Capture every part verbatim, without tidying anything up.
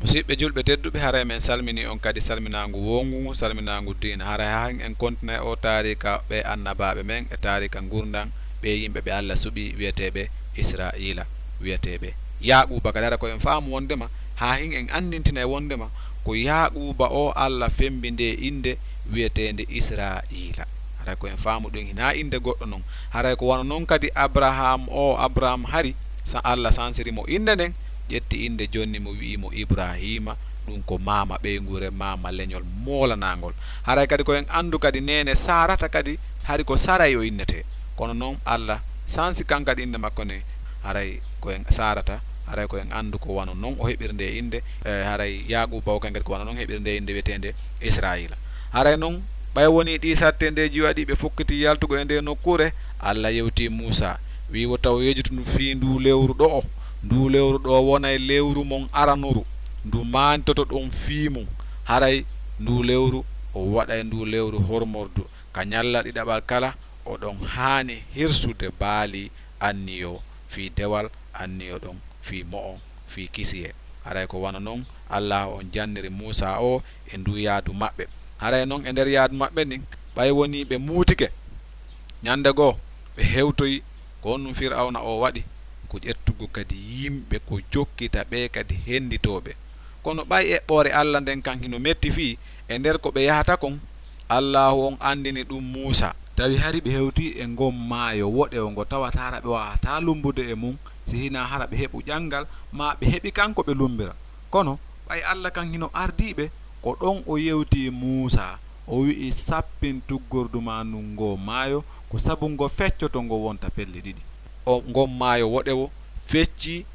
Musiɓɓe julɓe tedduɓe, haray men salmini on kadi salminaangu wongu, salminaangu diina. Haray haa en kontinay o taarika ɓe annabaaɓe men e taarika ngurndan ɓe yimɓe ɓe Allah suɓi, wi'eteeɓe Israa'iila, wi'eteeɓe Yaaquuba. Kadi hara ko en faamu wondema, haa hin en anndintinay wondema ko Yaaquuba o Allah fembi nde innde wi'eteende Israa'iila. Haray ko en faamu ɗum, hinaa innde goɗɗo non. Haray ko wano non kadi Abraham o, Abraham hari, sa Allah sansiri mo innde nden, ƴetti innde jonni mo, wi'i mo Ibraahiima, ɗum ko maama ɓeynguure, maama leñol moolanaangol. Haray kadi ko en anndu kadi neene Saarata kadi, hari ko Saray o innetee. Kono non Allah sansi kan kadi innde makko nde, haray ko en Saarata, haray ko en anndu ko wano non o heɓiri nde innde, e, haray Yaaquuba o kan kadi ko wano non heɓiri nde innde wi'eteende Israa'iila. Haray non, ɓay wonii ɗii sattendeeji waɗii ɓe fukkiti yaltugol e ndee nokkuure, Allah yewtii Muusaa, wi'i, "Wota on yejjitu ndu fii nduu lewru ɗo'o. Nduu lewru ɗo'o wonay lewru mon aranuru. Ndu maantitoto ɗon fii mun. Haray nduu lewru, o waɗay nduu lewru hormordu. Ka ñalla ɗiɗaɓal kala, oɗon haani hirsude baali anniyo fii dewal anniyo ɗon fii mo'on, fii kisiyee." Haray ko wano non Allaahu on janniri Muusaa o e nduu yaadu maɓɓe. Haray non e nder yaadu maɓɓe ndin, ɓay wonii ɓe muutike, ñande goo ɓe hewtoyi, ko honɗun Fir'awna o waɗi? Ko ƴettugo kadi yimɓe ko jokkita ɓe kadi henditooɓe. Kono ɓay eɓɓoore Allah nden kan hino metti fii, e nder ko ɓe yahata kon, Allaahu on anndini ɗum Muusaa. Tawi hari ɓe hewtii e ngon maayo woɗewo ngo tawata hara ɓe waawataa lumbude e mun, si hinaa hara ɓe heɓu ƴanngal, maa ɓe heɓi kan ko ɓe lumbira. Kono ɓay Allah kan hino ardii ɓe, ko ɗon o yewtii Muusaa, o wi'i, "Sappin tuggordu maa ndun ngoo maayo, ko sabu ngo feccoto ngo wonta pelle ɗiɗi." O, ngon maayo woɗewo feccii,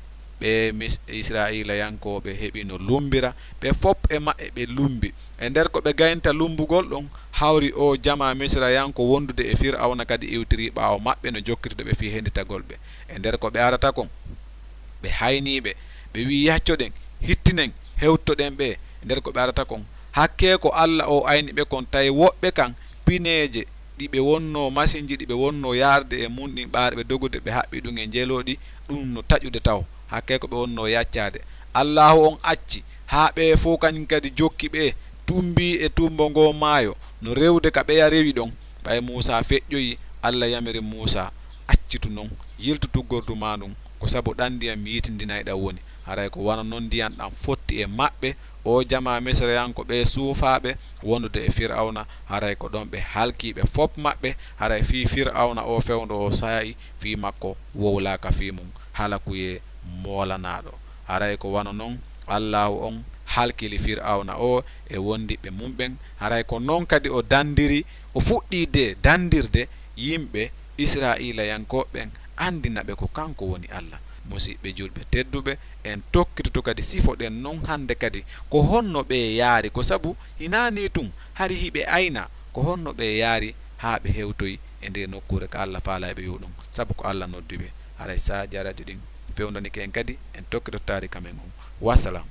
ɓe Mis-, Israa'iilayankooɓe heɓi no lumbira, ɓe fop e maɓɓe ɓe lumbi. E nder ko ɓe gaynta lumbugol ɗon, hawri o jamaa Misirayanko wondude e Fir'awna kadi iwtirii ɓaawo maɓɓe no jokkitude ɓe fii henditagol ɓe. E nder ko ɓe arata kon, ɓe haynii ɓe, ɓe wi'i, "Yaccoɗen, hittinen, hewtoɗen ɓe." E nder ko ɓe arata kon, hakkee ko Allah o ayni ɓe kon, tawi woɓɓe kan pineeje ɗi ɓe wonnoo, masinji ɗi ɓe wonnoo yaarde e mun ɗin, ɓaade ɓe dogude, ɓe haɓɓi ɗum e njelooɗi, ɗum no taƴude taw, hakkee ko ɓe wonnoo yaccaade. Allaahu on acci haa ɓe fow kañum kadi jokki ɓe, tumbii e tumbo ngoo maayo, no rewde ka ɓeya rewi ɗon. Ɓay Muusaa feƴƴoyi, Allah yamiri Muusaa, "Accitu non, yiltu tuggordu maa ndun, ko sabu ɗan ndiyan mi yitindinayɗan woni." Haray ko wano non ndiyan ɗan fotti e maɓɓe, o jamaa Misirayanko ɓe suufaaɓe wondude e Fir'awna, haray ko ɗon ɓe halkii ɓe fop maɓɓe, haray fii Fir'awna o fewndo o saa'i, fii makko wowlaaka fii mun, halakuyee moolanaaɗo. Haray ko wano non Allaahu on halkili Fir'awna o e wondiɓɓe mun ɓen, haray ko non kadi o dandiri, o fuɗɗii de dandirde yimɓe Israa'iilayankooɓe ɓen, andina ɓe ko kanko woni Allah. Musiɓɓe julɓe tedduɓe, en tokkitoto kadi sifoɗen non hande kadi ko honno ɓe yaari, ko sabu hinaa nii tun, hari hiɓe ayna ko honno ɓe yaari haa ɓe hewtoyi e nde nokkuure ka Allah faalaa ɓe yo ɗum, sabu ko Allah noddi ɓe. Haray sahaajaaji ɗin fewndanike en kadi, en tokkitoto taarika men on. Wassalam.